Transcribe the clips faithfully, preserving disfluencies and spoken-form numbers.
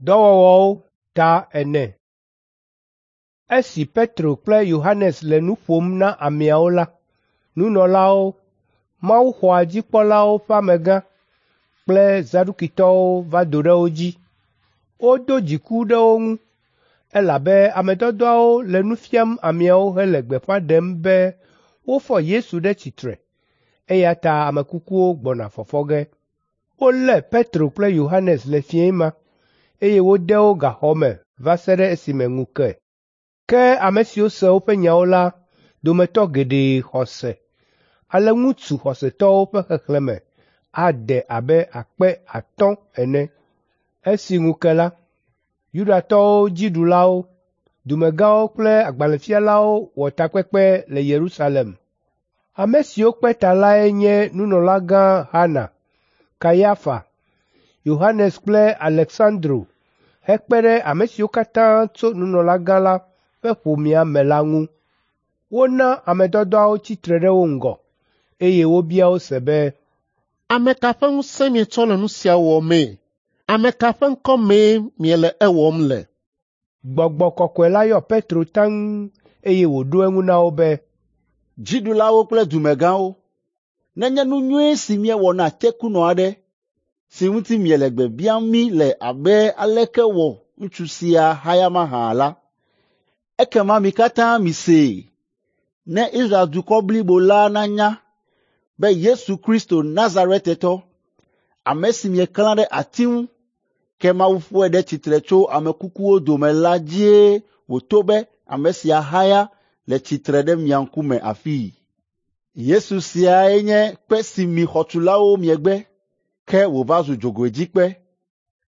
Dɔwɔwɔwo ta ene. Esi Petro kple Yohanes le nu ƒom na ameawo la, nunɔlawo, mawuxɔa dzikpɔlawo ƒe amegã kple Zadukitɔwo va do ɖe wo dzi. Wodo dziku ɖe wo ŋu, elabe ame dɔdɔawo le nu fiam ameawo hele gbeƒã ɖem be wofɔ Yesu ɖe tsitre, eya ta ame kukuwo gbɔna fɔfɔ ge. Wolé Petro kple Yohanes le fiẽ ma, eye wode wo gaxɔ me va se ɖe esime ŋu ke. Ke ame siwo se woƒe nyawo la dometɔ geɖe xɔ se, ale ŋutsu xɔsetɔwo ƒe xexlẽme ade abe akpe atɔ̃ ene. Esi ŋu ke la, Yudatɔwo dziɖulawo, dumegãwo kple agbalẽfialawo wɔ takpekpe le Yerusalem. Ame siwo kpe ta lae nye nunɔlagã Hana, Kayafa, Yohanes kple Aleksandro hekpe ɖe ame siwo katã tso nunɔlagã la ƒe ƒomea me la ŋu. Wona ame dɔdɔawo tsi tre ɖe wo ŋgɔ, eye wobia wo se be, Ame ka ƒe ŋusẽ mietsɔ le nu sia wɔmee? Ame ka ƒe ŋkɔ mee miele ewɔm le? Gbɔgbɔ Kɔkɔe la yɔ Petro taŋ eye wòɖo eŋu na wo be, Dziɖulawo kple dumegãwo, nenye nu nyui si míewɔ na tekunɔ aɖe si ŋuti miele gbe biam mí le abe aleke wɔ ŋutsu sia haya mahã la, ekema mi katã misee, ne Israel dukɔ blibo la nanya be Yesu Kristo Nazaretetɔ, ame si mieklã ɖe ati ŋu, ke Mawu fɔe ɖe tsitre tso ame kukuwo dome la dzie wòto be ame sia haya le tsitre ɖe mia ŋkume afii. Yesu siae nye kpe si mi xɔtulawo miegbe, ke wòva zu dzogoedzikpe.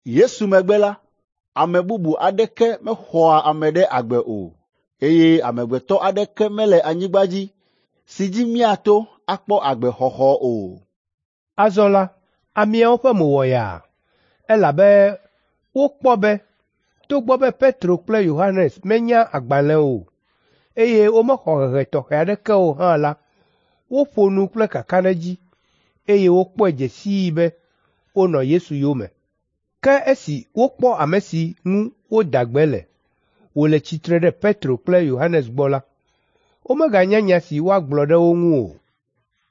Yesu megbe la, ame bubu aɖeke mexɔa ame ɖe agbe o, eye amegbetɔ aɖeke mele anyigba dzi si dzi míato akpɔ agbexɔxɔ o. Azɔ la, ameawo ƒe mo wɔ yaa, elabe wokpɔ be togbɔ be Petro kple Yohanes menya agbalẽ o, eye womexɔ hehe tɔxɛ aɖeke o hã la, woƒo nu kple kakaɖedzi, eye wokpɔe dze sii be wonɔ Yesu yome. Ke esi wokpɔ ame si ŋu woda gbe le, wòle tsitre ɖe Petro kple Yohanes gbɔ la, womeganya nya si woagblɔ ɖe wo ŋu o.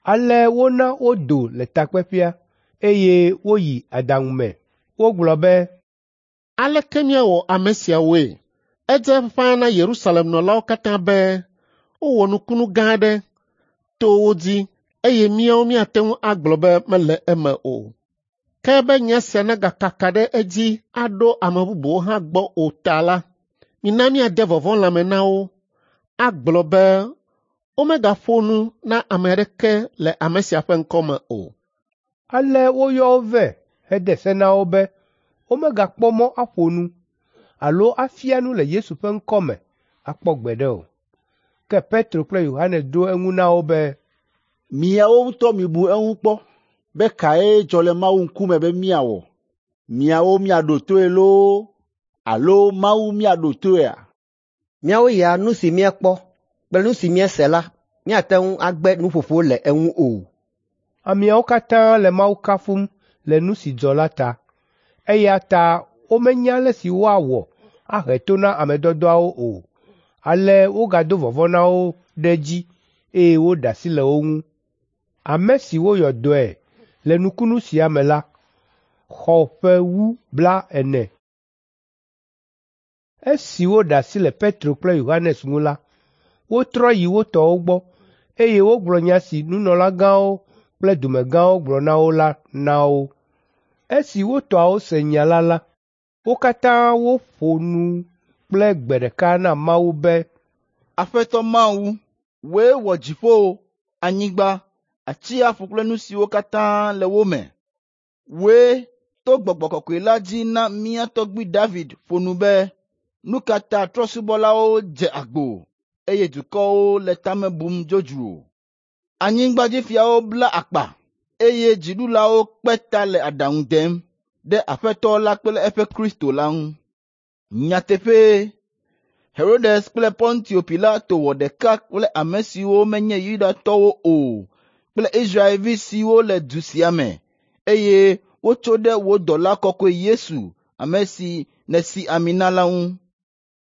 Ale wona wodo le takpeƒea, eye woyi aɖaŋu me. Wogblɔ be, Aleke míawɔ ame siawoe? Edze ƒãa na Yerusalem nɔlawo katã be wowɔ nukunu gã aɖe to wo dzi eye míawo míate ŋu agblɔ be mele eme o. Ke be nya sia nagakaka ɖe edzi aɖo ame bubuwo hã gbɔ o ta la, mina míade vɔvɔ̃ lãme na wo agblɔ be womegaƒo nu na ame aɖeke le ame sia ƒe ŋkɔ me o. Ale woyɔ wo vɛ hede se na wo be womegakpɔ mɔ aƒo nu alo afia nu le Yesu ƒe ŋkɔ me akpɔ gbeɖe o. Ke Petro kple Yohanes ɖo eŋu na wo be, Miawo ŋutɔ mibu eŋu kpɔ be kae dzɔ le Mawu ŋkume be míawɔ? Miawo miaɖo toe loo alo Mawu míaɖo toea? Míawo ya nu si míekpɔ kple nu si míese la, míate ŋu agbe nuƒoƒo le eŋu o. Ameawo katã le Mawu kafum le nu si dzɔ la ta, eya ta womenya ale si woawɔ ahe to na ame dɔdɔawo o. Ale wogado vɔvɔ̃ na wo ɖe edzi eye woɖe asi le wo ŋu. Ame si woyɔ dɔe le nukunu sia me la xɔ ƒe wu blaene. Esi woɖe asi le Petro kple Yohanes ŋu la, wotrɔ yi wo tɔwo gbɔ, eye wogblɔ nya si nunɔlagãwo kple dumegãwo gblɔ na wo la na wo. Esi wo tɔawo se nya la la, wo katã woƒo nu kple gbe ɖeka na Mawu be, Aƒetɔ Mawu, wòe wɔ dziƒo, anyigba, atsiaƒu kple nu siwo katã le wo me. Wòe to Gbɔgbɔ Kɔkɔe la dzi na mía tɔgbui David ƒo nu be, nu ka ta trɔ̃subɔlawo dze agbo, eye dukɔwo le tame bum dzodzro? Anyigbadzifiawo bla akpa, eye dziɖulawo kpe ta le aɖaŋu dem ɖe Aƒetɔ la kple eƒe Kristo la ŋu. Nyateƒee, Herodes kple Pontio Pilato wɔ ɖeka kple ame siwo menye Yudatɔwo o kple Israelvi siwo le du sia me, eye wotso ɖe wò dɔla kɔkɔe Yesu, ame si nèsi ami na la ŋu.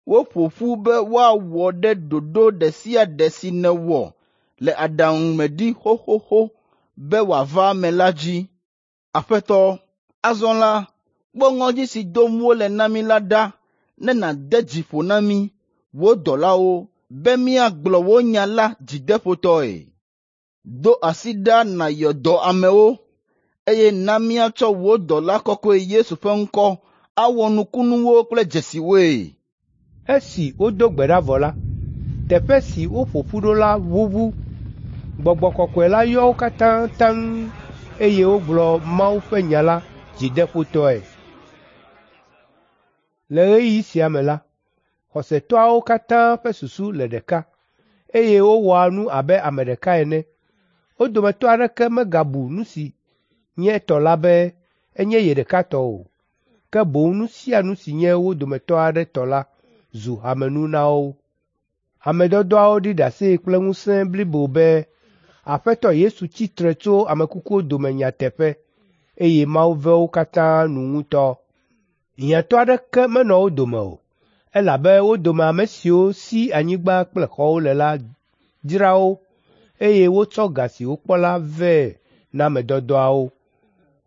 Woƒo ƒu be woawɔ ɖe ɖoɖo ɖe sia ɖe si nèwɔ le aɖaŋu me ɖi xoxoxo be wòava eme la dzi. Aƒetɔ, azɔ la, kpɔ ŋɔdzi si dom wole na mí la ɖa ne nàde dzi ƒo na mí, wò dɔlawo, be míagblɔ wò nya la dzideƒotɔe. Do asi ɖa nàyɔ dɔ amewo, eye na míatsɔ wò dɔla kɔkɔe Yesu ƒe ŋkɔ awɔ nukunuwo kple dzesiwoe. Esi wodo gbe ɖa vɔ la, teƒe si woƒo ƒu ɖo la ʋuʋu. Gbɔgbɔ Kɔkɔe la yɔ wo katã taŋ eye wogblɔ Mawu ƒe nya la dzideƒotɔe. Le ɣeyiɣi sia me la, xɔsetɔawo katã ƒe susu le ɖeka, eye wowɔa nu abe ame ɖeka ene. Wo dometɔ aɖeke megabu nu si nye etɔ la be enye ye ɖeka tɔ o, ke boŋ nu sia nu si nye wo dometɔ aɖe tɔ la zu hamenu na wo. Ame dɔdɔawo ɖi ɖase kple ŋusẽ blibo be Aƒetɔ Yesu tsi tre tso ame kukuwo dome nyateƒe, eye Mawu ve wo katã nu ŋutɔ. Hiãtɔ aɖeke menɔ wo dome o, elabe wo dome ame siwo si anyigba kple xɔwo le la dzra wo, eye wotsɔ ga si wokpɔ la vɛ na ame dɔdɔawo.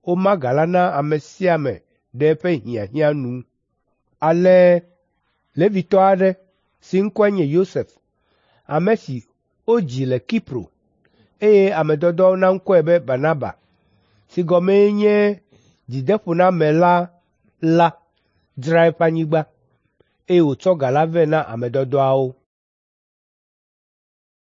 Woma ga la na ame sia ame ɖe eƒe hiahiã nu. Ale Levitɔ aɖe si ŋkɔe nye Yosef, ame si wodzi le Kipro, eye ame dɔdɔawo na ŋkɔe be Barnaba, si gɔmee nye dzideƒonamela la, dzra eƒe anyigba, eye wòtsɔ ga la vɛ na ame dɔdɔawo.